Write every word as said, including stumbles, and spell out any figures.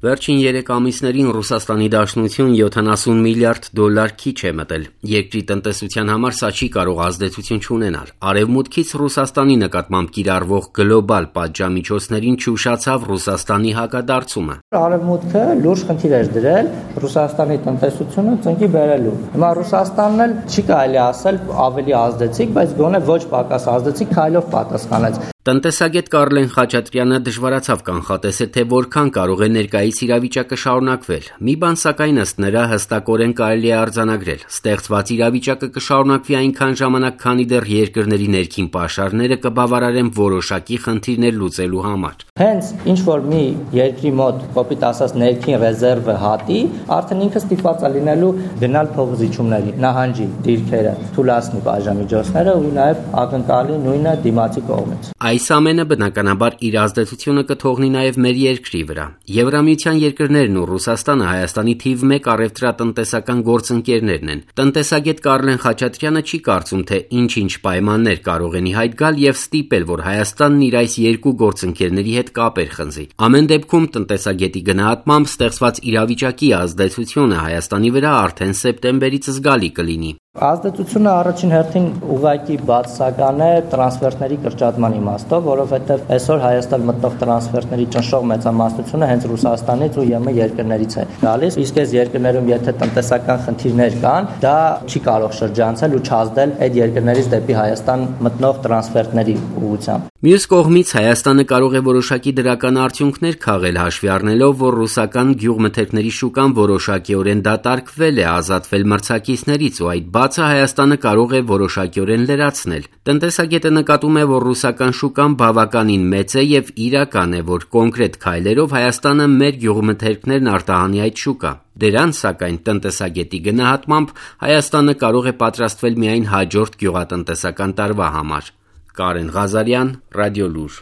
Վերջին երեք ամիսներին Ռուսաստանի Դաշնություն յոթանասուն միլիարդ դոլար քիչ է մտել։ Երկրի տնտեսության համար սա չի կարող ազդեցություն չունենալ։ Արևմուտքից Ռուսաստանի նկատմամբ կիրառվող գլոբալ պատժամիջոցներին չուշացավ Ռուսաստանի հակադարձումը։ Արևմուտքը լուրջ խնդիր էր դրել Ռուսաստանի տնտեսությունը ծնկի բերելու։ Հիմա Ռուսաստանն էլ չի կարելի ասել ավելի ազդեցիկ, բայց գոնե ոչ պակաս ազդեցիկ քայլով պատասխանեց։ Տնտեսագետ Կարլեն Խաչատրյանը դժվարացավ կանխատեսել, թե որքան կարող է ներկայիս իրավիճակը շարունակվել։ Մի բան սակայն ըստ նրա հստակորեն կարելի է արձանագրել. ստեղծված իրավիճակը կշարունակվի այնքան ժամանակ, քանի դեռ երկրների ներքին պաշարները կբավարարեն որոշակի խնդիրներ լուծելու համար։ Հենց ինչ որ մի երկրի մոտ կոպիտ ասած ներքին ռեզերվը հատի, արդեն ինքը ստիպված է լինելու գնալ փոխզիջումների, նահանջի դիրքերը, թուլացնի բաժամիջոցները ու նաև ակնկալի նույնը դիմացի կողմից։ Այս ամենը բնականաբար իր ազդեցությունը կթողնի նաև մեր երկրի վրա։ Եվրամիության երկրներն ու Ռուսաստանը Հայաստանի թիվ մեկ առևտրատնտեսական գործընկերներն են։ Տնտեսագետ Կարլեն Խաչատրյանը չի կարծում, թե ինչ-ինչ պայմաններ կարող են ի հայտ գալ եւ ստիպել, որ Հայաստանն իր այս երկու գործընկերների հետ կապեր խնձի։ Ամեն դեպքում տնտեսագետի գնահատմամբ ստեղծված իրավիճակի ազդեցությունը Հայաստանի վրա արդեն սեպտեմբերից զգալի կլինի։ Ազդեցությունը առաջին հերթին ուղղակի բացասական է տրանսֆերտների կրճատման իմաստով, որովհետև այսօր Հայաստան մտնող տրանսֆերտների ճնշող մեծամասնությունը հենց Ռուսաստանից ու ԵՄ երկրներից է գալիս, իսկ այս երկրներում եթե տնտեսական խնդիրներ կան, դա չի կարող շրջանցել ու չազդել այդ երկրներից դեպի Հայաստան մտնող տրանսֆերտների ուղղությամբ։ Մյուս կողմից Հայաստանը կարող է որոշակի դրական արդյունքներ քաղել, հաշվի առնելով, որ ռուսական գյուղմթերքների շուկան որոշակիորեն դատարկվել է, ազատվել մրցակիցներից ու այդ բացը Հայաստանը կարող է որոշակիորեն լրացնել։ Տնտեսագետը նկատում է, որ ռուսական շուկան բավականին մեծ է եւ իրական է, որ կոնկրետ քայլերով Հայաստանը մեր գյուղմթերքներն արտահանի այդ շուկա։ Դրան, սակայն, տնտեսագետի գնահատմամբ Հայաստանը կարող է պատրաստվել միայն հաջորդ գյուղատնտեսական տարվա համար։ Կարեն Ղազարյան, Ռադիոլուր։